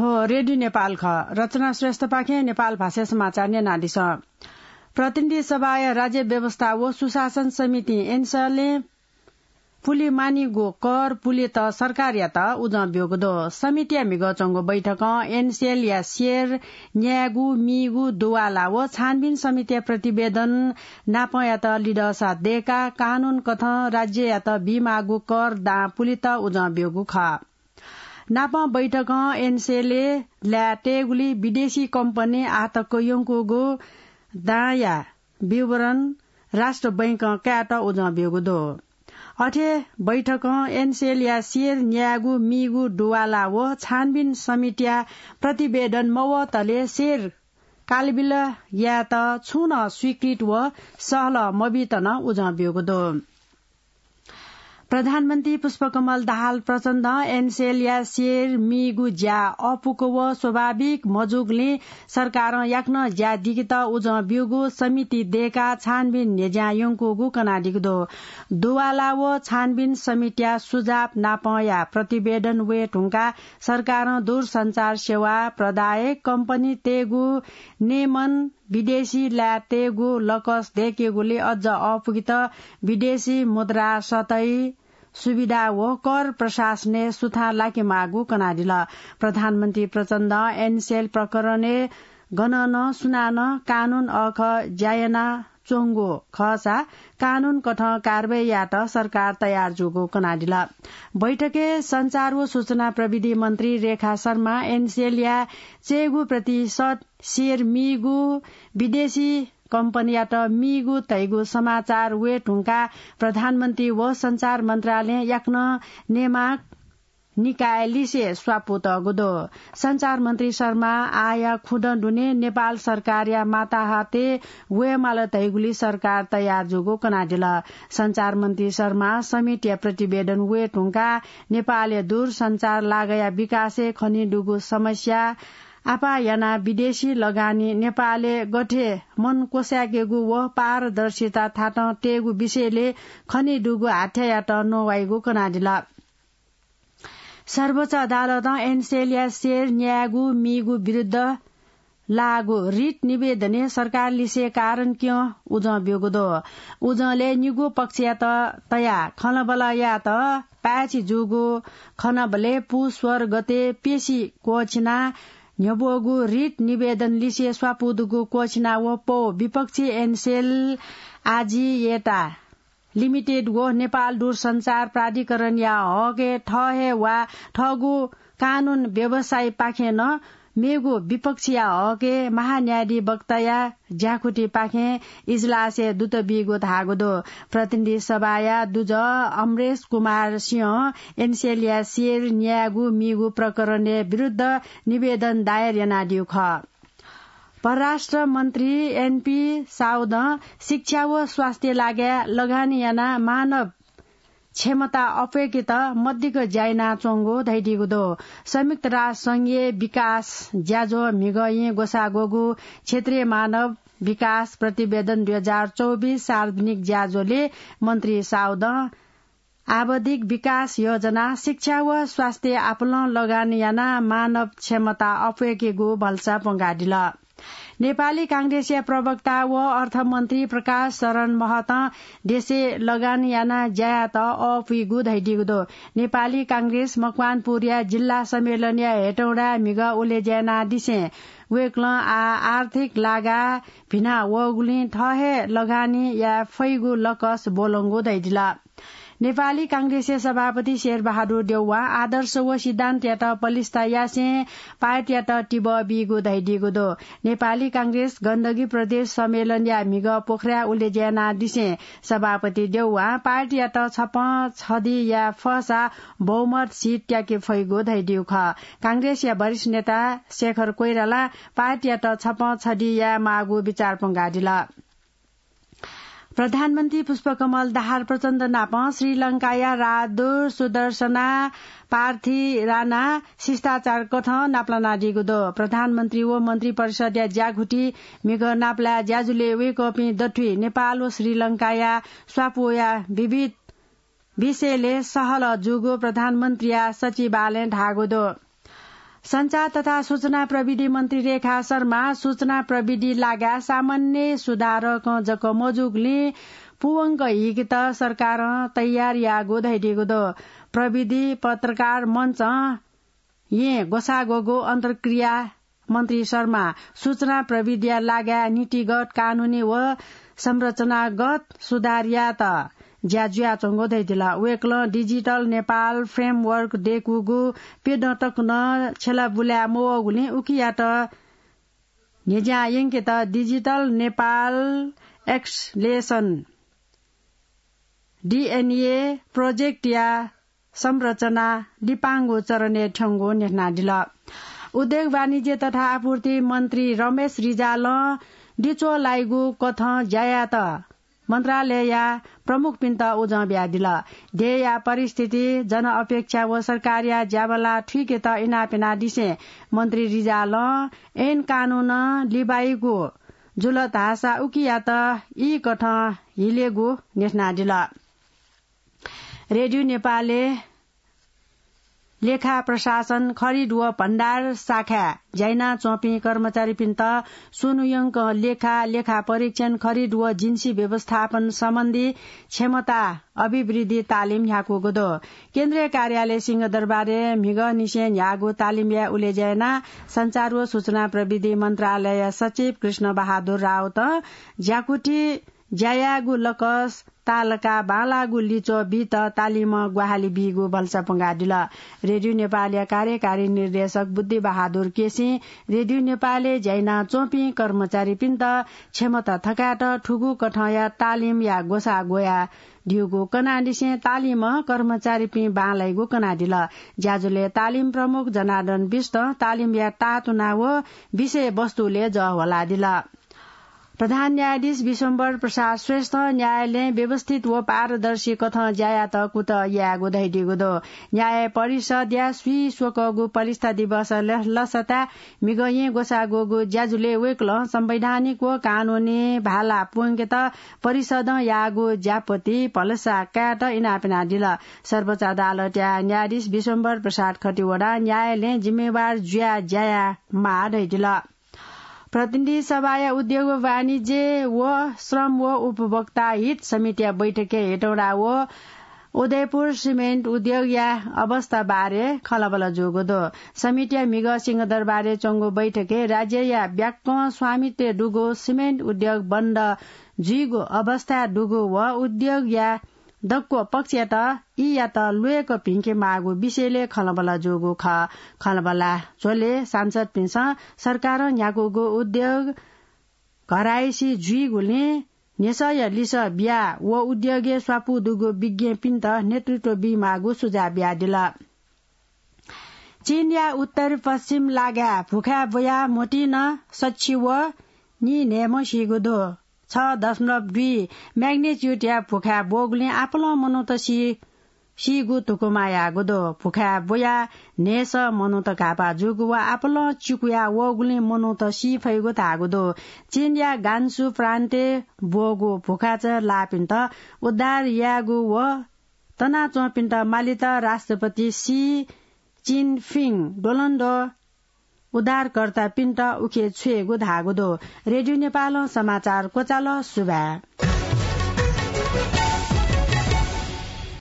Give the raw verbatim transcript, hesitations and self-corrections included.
थ्व रेडियो नेपाल खः। रचना श्रेष्ठपाखें नेपाल भाषाय् समाचार न्यनादिसँ। प्रतिनिधि सभाया राज्य व्यवस्था व सुशासन समितिं एनसेलय् पुले मानिगु कर पुलेत सरकारयात उजं ब्यूगु दु। समितिया म्हिगः च्वंगु बैठकं एनसेलया सेयर न्यायेगु मीगु दुवाला व छानबिन समितिया प्रतिवेदन नापंयात लिधःसा दय्काः कानून कथं राज्ययात बीमाःगु कर दां पुलेत उजं ब्यूगु खः। नापं बैठकं एनसेलय् ल्याः तयेगुली विदेशी कम्पनी आःतक यंकूगु दांया विवरण राष्ट्र बैंकं कायेत उजं ब्यूगु दु। अथे बैठकं एनसेलया सेयर न्यायेगु मीगु दुवाला व छानबिन समितिया प्रतिवेदन मवतले सेयर कालबिल यायेत छुं नं स्वीकृत व सहलह मबीत नं उजं ब्यूगु दु। प्रधानमन्त्री पुष्पकमल दाहाल प्रचण्डं एनसेलया सेयर मीगु ज्या अःपुक व स्वाभाविक मजूगुलिं सरकारं याकनं ज्या दिकेत उजं ब्यूगु समिति दय्काः छानबिन न्ह्यज्यां यंकूगु कनादीगु दु। दुवाला व छानबिन समितिया सुझाव नापंया प्रतिवेदन वये धुंकाः सरकारं दूरसञ्चार सेवा प्रदायक कम्पनीतय्गु नियमन विदेशी ल्याः तयेगु लकस दय्केगुली अझ अःपुकेत विदेशी मुद्रा सतही सुविधा व कर प्रशासनय् सुथां लाकेमाःगु कनादिल। प्रधानमन्त्री प्रचण्डं एनसेल प्रकरणय् गनं नं सुनानं कानून अःख ज्या यानाच्वंगु खःसा कानून कथं कारवाही यायेत सरकार तयार जूगु कनादिल। बैठकय् सञ्चार व सूचना प्रविधि मन्त्री रेखा शर्मा एनसेलया चय्गू प्रतिशत सेयर मीगु विदेशी कम्पनीयात मीगु धइगु समाचार वये धुंकाः प्रधानमन्त्री व सञ्चार मन्त्रालयं याकनं नेमाक निकाय लिसे स्वापू तःगु दु। सञ्चार मन्त्री शर्मा आःया खुदँ दुने नेपाल सरकारया माताहातय् वयेमाल धइगुली सरकार तयार जूगु कनादिल। सञ्चार मन्त्री शर्मा समितिया प्रतिवेदन वये धुंकाः नेपालय् दूरसञ्चार लागःया विकासय् खनेदुगु समस्या आपाः यानाः विदेशी लगानी नेपालय् गथे मन क्वसाय्केगु व पारदर्शिता थातं तयेगु विषयलय् खनेदुगु हाथ्यायात नवाइगु कनादिल। सर्वोच्च अदालतं एनसेलया सेयर न्यायेगु मीगु विरुद्ध लाःगु रिट निवेदनय् सरकार लिसे कारण क्यं उजं ब्यूगु दु। उजंलय् निगू पक्षयात तयाः खँल्हाबल्हा यायेत पाय्छि जूगु खँल्हाबल्हाय् पुस सोह्र गते पेशी क्वःछिनाः न्ह्यब्वःगु रिट निवेदन लिसे स्वापू दुगु क्वःछिना व पौ विपक्षी एनसेल आजिएटा लिमिटेड व नेपाल दूरसञ्चार प्राधिकरणया हकय् थः हे वा थःगु कानून व्यवसायीपाखें नं मेगु विपक्षीया हकय् महान्यायाधिवक्ताया ज्याकुथिपाखें इजलासय् दुत बीगु धाःगु दु। प्रतिनिधि सभाया दुजः अमरेश कुमार सिंहं एनसेलया सेयर न्यायेगु मीगु प्रकरणय् विरुद्ध निवेदन दायर यानादीगु खः। परराष्ट्र मन्त्री एनपी साउदं शिक्षा व स्वास्थ्य लागाय् लगानी यानाः मानव क्षमता अप्वय्केत मदिक्क ज्या यानाच्वंगु धयादीगु दु। संयुक्त राष्ट्र संघीय विकास ज्याझ्वः म्हिगः येँ ग्वसाः ग्वःगु क्षेत्रीय मानव विकास प्रतिवेदन दुई हजार चौबिस सार्वजनिक ज्याझ्वलय् मन्त्री साउदं आवधिक विकास योजना, शिक्षा व स्वास्थ्य आपालं लगानी यानाः मानव क्षमता अप्वय्केगु भलसा प्वंकादिल। नेपाली कांग्रेसया प्रवक्ता व अर्थमन्त्री प्रकाश शरण महतं देशय् लगानी यानाः ज्या यायेत अःपुइगु धयादीगु दु। नेपाली कांग्रेस मकवानपुरया जिल्ला सम्मेलनया हेटौँडाय् म्हिगः उलेज्या यानादिसें वय्कलं आः आर्थिक लागा भिना वःगुलिं थः हे लगानी याये फइगु लकस ब्वलंगु धयादिल। नेपाली कांग्रेसया सभापति शेरबहादुर देउवां आदर्श व सिद्धान्तयात पलिस्था यासें पार्टीयात तिबः बीगु धयादीगु दु। नेपाली कांग्रेस गण्डकी प्रदेश सम्मेलनया म्हिगः पोखराय् उलेज्या यानादिसें सभापति देउवां पार्टीयात छपं छधि याये फःसा बहुमत सिट त्याके फइगु धयादीगु खः। कांग्रेसया वरिष्ठ नेता शेखर कोइरालां पार्टीयात छपं छधि याये माःगु बिचाः प्वंकादिल। प्रधानमन्त्री पुष्पकमल दाहाल प्रचण्ड नाप श्रीलंकाया राजदूत सुदर्शना पार्थिराना शिष्टाचार कथं नापलानादीगु दु। प्रधानमन्त्री व मन्त्री परिषदया ज्याकुथि म्हिगः नापलाये ज्याझ्वलय् वय्कःपिं दथुइ नेपाल व श्रीलंकाया स्वापूया विविध विषयलय् सहलह जूगु प्रधानमन्त्रीया सचिवालयं धाःगु दु। सञ्चार तथा सूचना प्रविधि मन्त्री रेखा शर्मा सूचना प्रविधि लागाय् सामान्य सुधारकं जक मजूगुलिं पूवंक हीकेत सरकारं तयार याःगु धयादीगु दु। प्रविधि पत्रकार मञ्चं येँ ग्वसाः ग्वःगु अन्तर्क्रिया मन्त्री शर्मा सूचना प्रविधिया लागाय् नीतिगत, कानूनी व संरचनागत सुधार यायेत ज्या जुयाच्वंगु धयादिल। वय्कलं डिजिटल नेपाल फ्रेमवर्क दय्कूगु प्यदँ तक नं छ्यलाबुलाय् मवःगुलिं उकियात न्ह्यज्यां यंकेत डिजिटल नेपाल एक्सलेसन, डिएनए, प्रोजेक्टया संरचना लिपांगु चरणय् थ्यंगु न्ह्यथनादिल। उद्योग वाणिज्य तथा आपूर्ति मन्त्री रमेश रिजालं दिच्वः लाइगु कथं ज्या यायेत मन्त्रालयया प्रमुखपिन्त उजं बियादिल। देय्या परिस्थिति, जनअपेक्षा व सरकारया ज्याबला थुइकेत इनाप यानादिसें मन्त्री रिजालं ऐन कानूनं लिबाइगु जुल धाःसा उकियात ई कथं हिलेगु न्ह्यथनादिल। रेडियो नेपालय् लेखा प्रशासन, खरिद व भण्डार शाखाय् ज्या यानाच्वंपिं कर्मचारीपिन्त स्वन्हुयंक लेखा, लेखा परीक्षण, खरिद व जिन्सी व्यवस्थापन सम्बन्धी क्षमता अभिवृद्धि तालिम न्ह्याकूगु दु। केन्द्रीय कार्यालय सिंहदरबारय् म्हिगःनिसें न्ह्याःगु तालिमया उलेज्या यानाः सञ्चार व सूचना प्रविधि मन्त्रालय सचिव कृष्ण बहादुर राउतं ज्याकुथि ज्या यायेगु लकस ताःलाकाः बांलाःगु लिच्वः बीत तालिमं ग्वाहालि बीगु भलसा प्वंकादिल। रेडियो नेपालया कार्यकारी निर्देशक बुद्धि बहादुर केसीं रेडियो नेपालय् ज्या यानाच्वंपिं कर्मचारीपिन्त क्षमता थकायेत थुगु कथंया तालिमया ग्वसाः ग्वयादीगु कनादिसें तालिमं कर्मचारीपिं बांलाइगु कनादिल। ज्याझ्वलय् तालिम प्रमुख जनार्दन बिष्टं तालिमया ताःतुना व विषयवस्तुलय् जः ह्वलादिल। प्रधान न्यायाधीश विश्वम्भर प्रसाद श्रेष्ठं न्यायालयं व्यवस्थित व पारदर्शी कथं ज्या यायेत कुतः यायेगु धयादीगु दु। न्याय परिषदया स्वीस्वकःगु प्रतिष्ठा दिवस ल-, लसताय् म्हिगः येँ ग्वसाः ग्वःगु ज्याझ्वलय् वय्कलं संवैधानिक व कानूनी भाला प्वंकेत परिषदं याःगु ज्यापति भलसा कायेत इनाप यानादिल। सर्वोच्च अदालतया न्यायाधीश विश्वम्भर प्रसाद खतिवडां न्यायालयं जिम्मेवार जुयाः ज्या यायेमाः धयादिल। प्रतिनिधि सभाया उद्योग व वाणिज्य व श्रम व उपभोक्ता हित समितिया बैठकय् हेटौँडा व उदयपुर सिमेन्ट उद्योगया अवस्था बारे खँल्हाबल्हा जूगु दु। समितिया म्हिगः सिंहदरबारय् च्वंगु बैठकय् राज्यया ब्याक्कं स्वामित्वय् दुगु सिमेन्ट उद्योग बन्द जुइगु अवस्थाय् दुगु व उद्योगया दक्व पक्षयात ईयात ल्वय्क भिंके माःगु विषयलय् खँल्हाबल्हा जूगु खः। खँल्हाबल्हा झ्वलय् सांसदपिन्सं सरकारं न्ह्याकूगु उद्योग घरायसी जुइगुलिं न्ह्यसःया लिसः बियाः व उद्योगय् स्वापू दुगु विज्ञपिन्त नेतृत्व बीमाःगु सुझाव बियादिल। चीनया उत्तर पश्चिम लागाय् भुखाय् ब्वयाः म्होतिं नं सछि व नीन्हय्म्ह सीगु दु। छ दशमलव दुई magnitude-या भुखाय् ब्वःगुलिं आपालं मनूत सी, सीगु धुकुमा याःगु दु। भुखाय् ब्वयाः न्हय्सः मनूत घाःपाः जूगु व आपालं चिकुया वःगुलिं मनूत सी फइगु धाःगु दु। चीनया गान्सु प्रान्तय् ब्वःगु भुखाचं लाःपिन्त उद्धार यायेगु व तनाच्वंपिन्त मालेत राष्ट्रपति सी जिनपिङ द्वलंद्वः उद्धारकर्तापिन्त उखे छ्वयेगु धाःगु दु। रेडियो नेपालं समाचार क्वचाल। सुभाय्।